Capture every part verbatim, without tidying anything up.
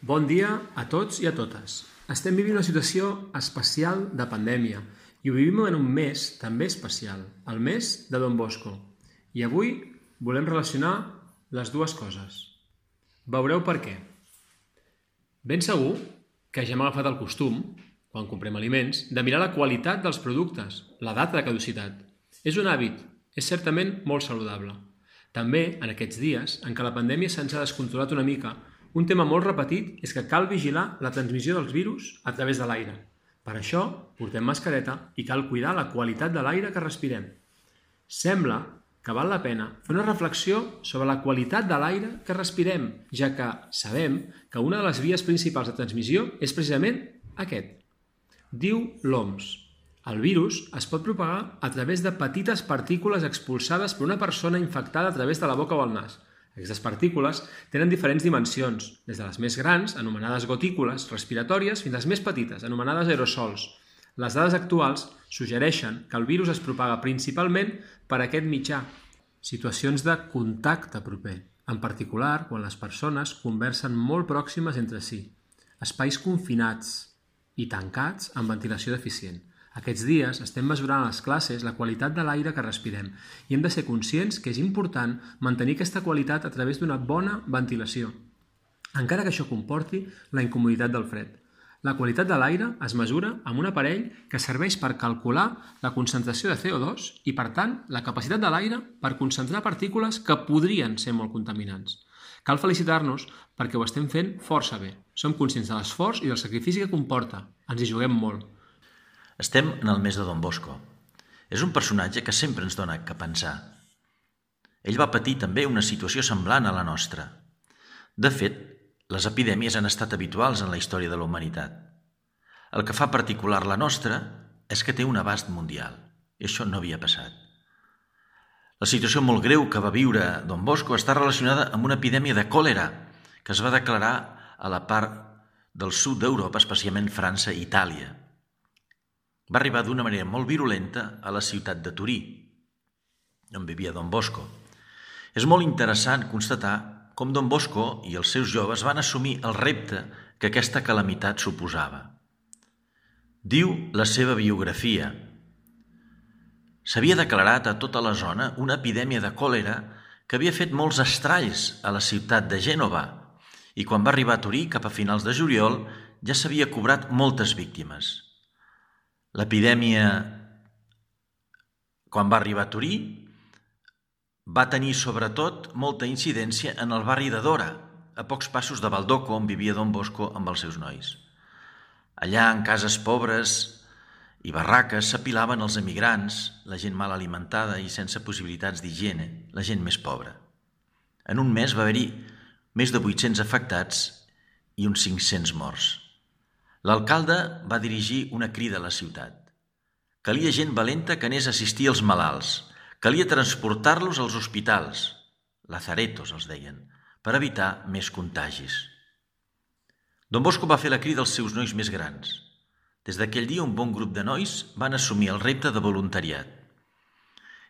Bon dia a tots i a totes. Estem vivint una situació especial de pandèmia i ho vivim en un mes també especial, el mes de Don Bosco. I avui volem relacionar les dues coses. Veureu per què. Ben segur que ja hem agafat el costum, quan comprem aliments, de mirar la qualitat dels productes, la data de caducitat. És un hàbit, és certament molt saludable. També, en aquests dies, en què la pandèmia se'ns ha descontrolat una mica, un tema molt repetit és que cal vigilar la transmissió dels virus a través de l'aire. Per això, portem mascareta i cal cuidar la qualitat de l'aire que respirem. Sembla que val la pena fer una reflexió sobre la qualitat de l'aire que respirem, ja que sabem que una de les vies principals de transmissió és precisament aquest. Diu l'O M S. El virus es pot propagar a través de petites partícules expulsades per una persona infectada a través de la boca o el nas. Aquestes partícules tenen diferents dimensions, des de les més grans, anomenades gotícules respiratòries, fins a les més petites, anomenades aerosols. Les dades actuals suggereixen que el virus es propaga principalment per aquest mitjà, situacions de contacte proper, en particular quan les persones conversen molt pròximes entre si, espais confinats i tancats amb ventilació deficient. Aquests dies estem mesurant a les classes la qualitat de l'aire que respirem i hem de ser conscients que és important mantenir aquesta qualitat a través d'una bona ventilació, encara que això comporti la incomoditat del fred. La qualitat de l'aire es mesura amb un aparell que serveix per calcular la concentració de C O dos i, per tant, la capacitat de l'aire per concentrar partícules que podrien ser molt contaminants. Cal felicitar-nos perquè ho estem fent força bé. Som conscients de l'esforç i del sacrifici que comporta. Ens hi juguem molt. Estem en el mes de Don Bosco. És un personatge que sempre ens dona que pensar. Ell va patir també una situació semblant a la nostra. De fet, les epidèmies han estat habituals en la història de la humanitat. El que fa particular la nostra és que té un abast mundial, i això no havia passat. La situació molt greu que va viure Don Bosco està relacionada amb una epidèmia de còlera que es va declarar a la part del sud d'Europa, especialment França i Itàlia. Va arribar d'una manera molt virulenta a la ciutat de Torí, on vivia Don Bosco. És molt interessant constatar com Don Bosco i els seus joves van assumir el repte que aquesta calamitat suposava. Diu la seva biografia: s'havia declarat a tota la zona una epidèmia de còlera que havia fet molts estralls a la ciutat de Gènova i quan va arribar a Torí, cap a finals de juliol, ja s'havia cobrat moltes víctimes. L'epidèmia, quan va arribar a Torí, va tenir sobretot molta incidència en el barri de Dora, a pocs passos de Baldoco, on vivia Don Bosco amb els seus nois. Allà, en cases pobres i barraques, s'apilaven els emigrants, la gent mal alimentada i sense possibilitats d'higiene, la gent més pobra. En un mes va haver-hi més de vuit-cents afectats i uns cinc-cents morts. L'alcalde va dirigir una crida a la ciutat. Calia gent valenta que anés a assistir als malalts. Calia transportar-los als hospitals, lazaretos els deien, per evitar més contagis. Don Bosco va fer la crida als seus nois més grans. Des d'aquell dia un bon grup de nois van assumir el repte de voluntariat.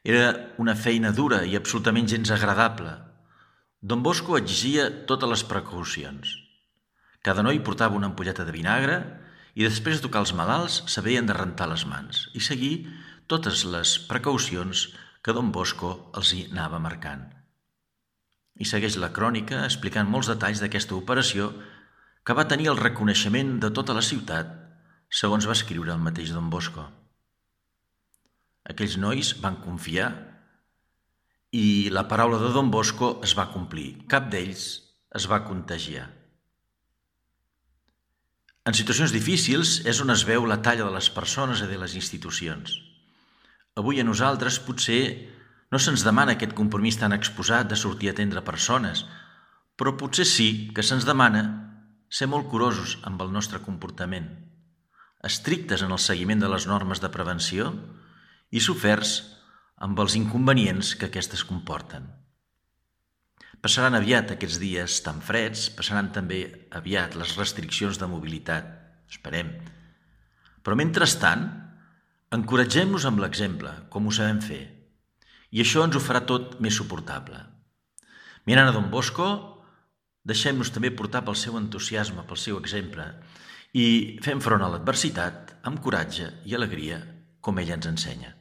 Era una feina dura i absolutament gens agradable. Don Bosco exigia totes les precaucions. Cada noi portava una ampolleta de vinagre i després de tocar els malalts s'havien de rentar les mans i seguir totes les precaucions que Don Bosco els hi anava marcant. I segueix la crònica explicant molts detalls d'aquesta operació que va tenir el reconeixement de tota la ciutat, segons va escriure el mateix Don Bosco. Aquells nois van confiar i la paraula de Don Bosco es va complir. Cap d'ells es va contagiar. En situacions difícils és on es veu la talla de les persones i de les institucions. Avui a nosaltres potser no se'ns demana aquest compromís tan exposat de sortir a atendre persones, però potser sí que se'ns demana ser molt curosos amb el nostre comportament, estrictes en el seguiment de les normes de prevenció i soferts amb els inconvenients que aquestes comporten. Passaran aviat aquests dies tan freds, passaran també aviat les restriccions de mobilitat, esperem. Però mentrestant, encoratgem-nos amb l'exemple, com ho sabem fer, i això ens ho farà tot més suportable. Mirant a Don Bosco, Deixem-nos també portar pel seu entusiasme, pel seu exemple, i fem front a l'adversitat amb coratge i alegria, com ella ens ensenya.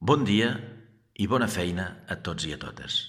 Bon dia i bona feina a tots i a totes.